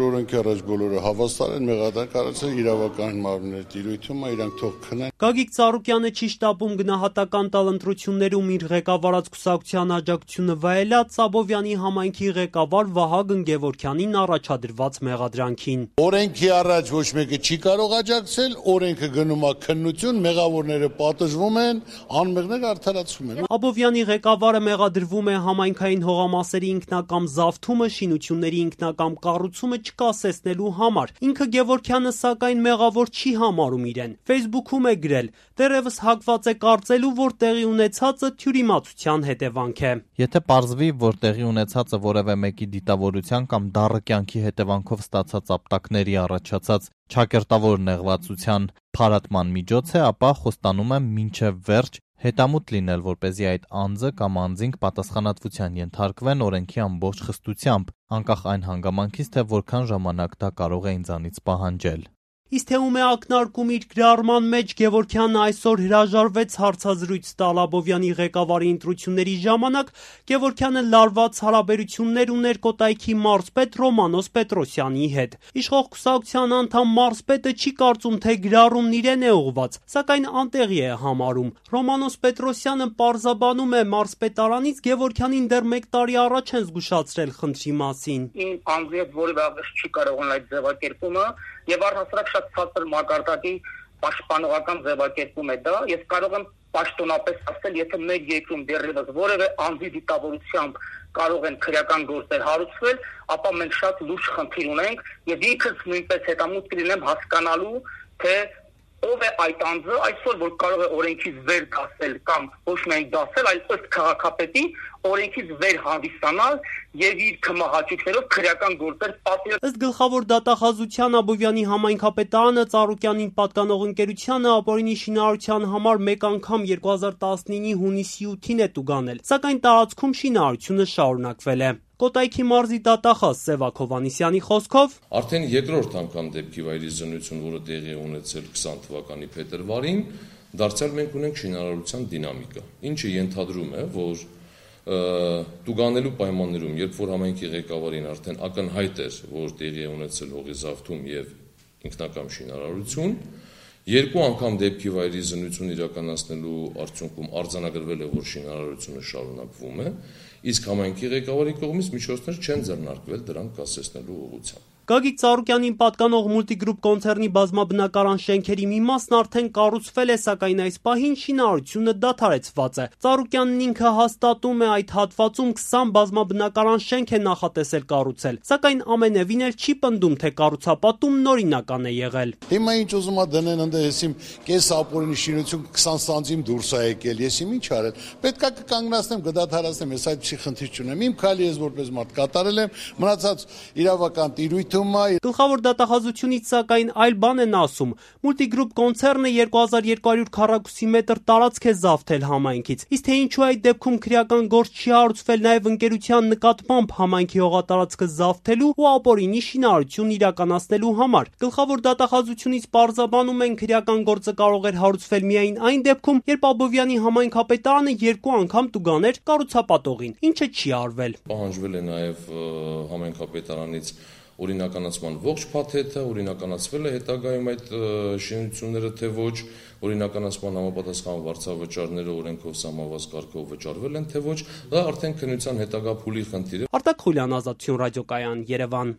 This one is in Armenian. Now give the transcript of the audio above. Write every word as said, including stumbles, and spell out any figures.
Օրենքի առաջ բոլորը հավաստար են, մեղադրանք արեցին իրավական մարմինների տիրույթում, իրանք թող քնեն։ Գագիկ Ծառուկյանը չի շտապում գնահատական տալ ընտրություններում իր ղեկավարած կուսակցության աջակցությունը վայելած Աբովյանի համայնքի ղեկավար Վահագն Գևորգյանին առաջադրված մեղադրանքին։ Օրենքի առաջ ոչ մեկը չի կարող աջակցել, օրենքը գնում է քննություն, մեղավորները պատժվում են, անմեղները արդարացվում են։ Աբովյանի ղեկավարը մեղադրվում է համայնքային հողամասերի ինքնակամ զավթումը, շինությունների ինքնակամ կառուցումը չկասեցնելու համար։ Ինքը Գևորգյանը սակայն մեղավոր չի համարում իրեն։ Facebook-ում է գրել. «Դեռևս հակված է կարծելու, որ տեղի ունեցածը թյուրիմացության հետևանք է»։ Եթե պարզվի, որ տեղի ունեցածը որևէ մեկի դիտավորության կամ դառը կյանքի հետևանքով ստացած ապտակների առաջացած չակերտավոր նեղվածության փարատման միջոց է, ապա խոստանում է մինչև վերջ հետամուտ լինել, որպեսզի այդ անձը կամ անձինք պատասխանատվության ենթարկվեն օրենքի ամբողջ խստությամբ, անկախ այն հանգամանքից, թե որքան ժամանակ դա կարող է ինձանից պահանջել։ Իսկ թե ում է ակնարկում իր գրառման մեջ Գևորգյանը այսօր հրաժարվեց հարցազրույց տալ Աբովյանի ղեկավարի ընտրությունների ժամանակ, Գևորգյանը լարված հարաբերություններ ուներ Կոտայքի մարզպետ Ռոմանոս Պետրոսյանի հետ։ Իշխող կուսակցության անդամ մարզպետը չի կարծում, թե գրառումն իրեն է ուղղված, սակայն անտեղի է համարում։ Ռոմանոս Պետրոսյանը պարզաբանում է մարզպետարանից Գևորգյանին դեռ մեկ տարի առաջ են զգուշացրել խնդրի մասին։ Իմ անձի հետ որևէ աղերս չի կարող ունենալ այդ ձևակերպումը եւ առհասարակ շատ ցածր մակարդակի պաշտպանողական ձևակերպում է դա։ Ես կարող եմ պաշտոնապես ասել, եթե մեր երկրում դեռևս որևէ անձի դիտավորությամբ կարող են քրեական գործեր հարուցվել, ապա մենք շատ լուրջ խնդիր ունենք եւ ինքս նույնպես հետամուտ կլինեմ հասկանալու, թե ով է այդ անձը այսօր, որ կարող է օրենքից վեր դասել կամ ոչ միայն դասել, այլ ըստ քաղաքապետի օրենքից վեր հանդիսանալ եւ իր կմահաճույքներով քրեական գործեր պատել։ Ըստ գլխավոր դատախազության Աբովյանի համայնքապետարանը Ծառուկյանին պատկանող ընկերությանը ապօրինի շինարարության համար մեկ անգամ երկու հազար տասնինի հունիսի ութին է տուգանել, սակայն տարածքում շինարարությունը շարունակվել է։ Կոտայքի մարզի դատախազ Սևակ Հովհաննիսյանի խոսքով արդեն երկրորդ անգամ դեպքի վայրի զննություն, որը տեղի ունեցել քսան թվականի փետրվարին, դարձյալ մենք ունենք շինարարության դինամիկա, ինչը ենթադրում է, որ տուգանելու պայմաններում, երբ որ համայնքի ղեկավարին արդեն ակնհայտ էր, որ տեղի է ունեցել հողի զավթում եւ ինքնակամ շինարարություն, երկու անգամ դեպքի վայրի զննություն իրականացնելու արդյունքում արձանագրվել է, որ շինարարությունը շարունակվում է, իսկ համայնքի ղեկավարի կողմից միջոցներ չեն ձեռնարկվել դրանք կասեցնելու ուղղությամբ։ Գագիկ Ծառուկյանին պատկանող Multigroup կոնցեռնի բազմաբնակարան շենքերի մի մասն արդեն կառուցվել է, սակայն այս պահին շինարարությունը դադարեցված է։ Ծառուկյանն ինքը հաստատում է այդ հատվածում քսան բազմաբնակարան շենք է նախատեսել կառուցել, սակայն ամենևին էլ չի պնդում, թե կառուցապատումն օրինական է եղել։ Հիմա ինչ ուզում ա դնեն ընդ ես իմ կես ապօրինի շինություն քսան սանտիմ դուրս ա եկել, ես իմ ինչ արել։ Պետքա կկանգնացնեմ, կդադարացնեմ, ես այդ չի խնդիր չունեմ։ Իմ քայլի ես որպես մարդ կատարել եմ, մնացած իրավական տիրույթ Գլխավոր դատախազությունից սակայն այլ բան են ասում։ Multigroup կոնցեռնը երկու հազար երկու հարյուր քառակուսի մետր տարածք է զավթել համայնքից։ Իսկ թե ինչու այդ դեպքում քրեական գործ չի հարուցվել նաև ընկերության նկատմամբ համայնքի հողատարածքը զավթելու ու ապօրինի շինարարություն իրականացնելու համար։ Գլխավոր դատախազությունից պարզաբանում են քրեական գործը կարող էր հարուցվել միայն այն դեպքում, երբ Աբովյանի համայնքապետարանը երկու անգամ տուգաներ կառուցապատողին, ինչը չի արվել։ Պահանջվել է նաև համայնքապետարանից օրինականացման ողջ փաթեթը, օրինականացվել է հետագայում այդ շինությունները, թե ոչ, օրինականացման համապատասխան վարձավճարները օրենքով սահմանված կարգով վճարվել են, թե ոչ, դա արդեն քննության հետագա փուլի խնդիր է։ Արտակ Խուլյան, Ազատություն ռադիոկայան, Երևան։